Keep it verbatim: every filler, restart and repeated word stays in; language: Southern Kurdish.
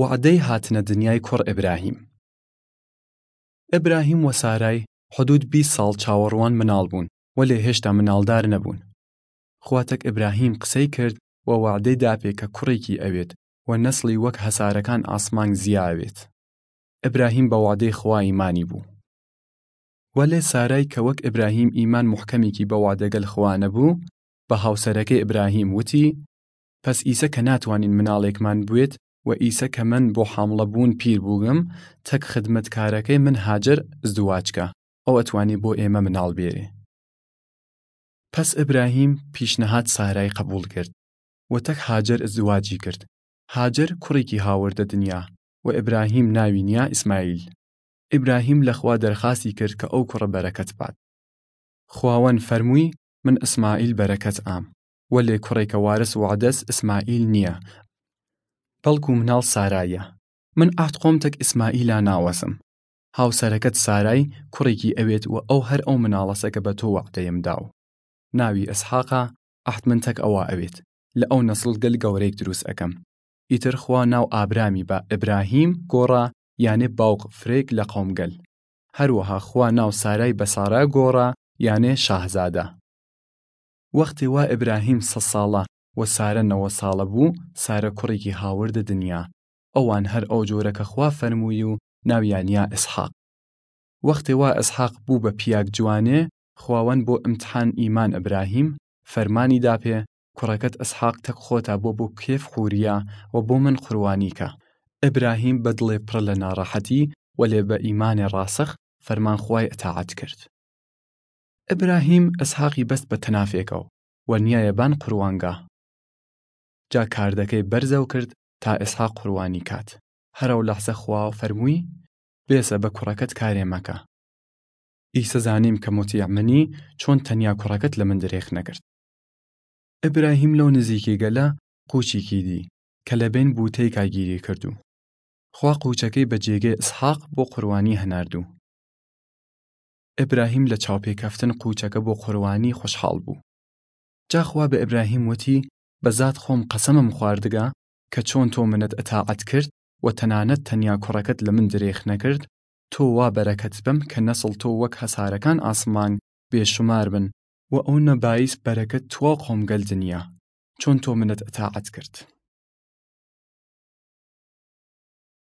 وەعدەی هاتنە دنیای کوڕ ئبراهیم. ئبراهیم و سارای حدوود بیست ساڵ چاوەڕوان مناڵ بوون، وەلێ هێشتا مناڵدار نەبوون. خوا تەک ئبراهیم قسەی کرد و وەعدەی داپێ کە کوڕێکی ئەوێت و نەسڵی وەک هەسارەکان ئاسمانگ زیا ئەوێت. ئبراهیم بە وەعدەی خوا ئیمانی بوو. وەلێ سارای کە وەک ئبراهیم ئیمان موحکەمیکی بە وەعدەگەل خوا نەبوو، بە هاوسەرەکەی ئبراهیم وتی، پەس ئیسە کە ناتوانین مناڵێکمان بوێت و ئیسە کە من بۆ حامڵە بوون پیر بووگم، تەک خدمەتکارەکەی من هاجەر ئزدواج کە، ئەو ئەتوانی بۆ ئێمە مناڵ بێرێ. پەس ئبراهیم پیشنەهاد سارای قەبوول کرد و تەک هاجەر ئزدواجی کرد. هاجەر کوڕێکی هاوردە دنیا و ئبراهیم ناوی نیا ئیسماعیل. ئبراهیم لە خوا دەرخاسی کرد کە ئەو کوڕە بەرەکەت بات. خواوەن فەرمووی، من ئیسماعیل بەرەکەت ئام، وەلێ کوڕێکە وارس وەعدەس ئیسماعیل نییە، بەڵکو مناڵ سارایە. من عەهد خوەم تەک ئیسماعیلا ناوەسم. هاوسەرەکەت سارای کوڕێکی ئەوێت و ئەو هەر ئەو مناڵەسە کە بە تۆ وەعدەیم داو. ناوی ئیسحاقە، عەهد من تەک ئەوە ئەوێت. لە ئەو نەسڵ گەل گەورەیگ دروس ئەکەم. ئیتر خوا ناو ئابرامی بە ئبراهیم گۆڕا، یانێ باوق فرەیگ لە قەومگەل. هەروەها خوا ناو سارای بە سارا گۆڕا، یانێ شاهزادە. وەختێ وا ئبراهیم سەد ساڵە و سارە نەوەد ساڵە بوو، سارە کوڕێکی هاوردە دنیا. ئەوان هەر ئەو جۆرە کە خوا فەرمووی و ناویان یا ئیسحاق. وەختێ وا ئیسحاق بوو بە پیاگ جوانێ، خواوەن بۆ ئمتحان ئیمان ئبراهیم فەرمانی داپێ، کوڕەکەت ئیسحاق تەک خوەتا بۆ بۆ کێف خوریە و بۆ من قوربانی کە. ئبراهیم بە دڵێ پڕ لە ناڕەحەتی، وەلێ بە ئیمانێ ڕاسخ فەرمان خوای ئتاعەت کرد. ئبراهیم ئیسحاقی بەست بە تەنافێکەو و نیایە بان قوربانگا. جا کاردەکەی بەرزەو کرد تا ئیسحاق قوربانی کات. هەر ئەو لەحزە خوا فەرمووی، بێسە بە کوڕەکەت کارێ مەکە. ئیسە زانیم کە موتیع منی، چۆن تەنیا کوڕەکەت لە من درێخ نەکرد. ئبراهیم لەو نزیکیگەلە قوچیکی دی کە لە بین بووتەیکا گیری کردو. خوا قوچەکەی بە جێگەی ئیسحاق بۆ قوربانی هەناردو. ئبراهیم لە چاوپێکەفتن قوچەکە بۆ قوربانی خوەشحاڵ بوو. جا خوا بە ئبراهیم وتی، بە زات خوەم قەسەمم خواردگە کە چۆن تۆ منت ئتاعەت کرد و تەنانەت تەنیا کوڕەکەت لە من درێخ نەکرد، تۆ وا بەرەکەت بەم کە نەسڵ تۆ وەک هەسارەکان ئاسمانگ بێ شومار بن و ئەونە بایس بەرەکەت تواو قەومگەل دنیا، چۆن تۆ منت ئتاعەت کرد.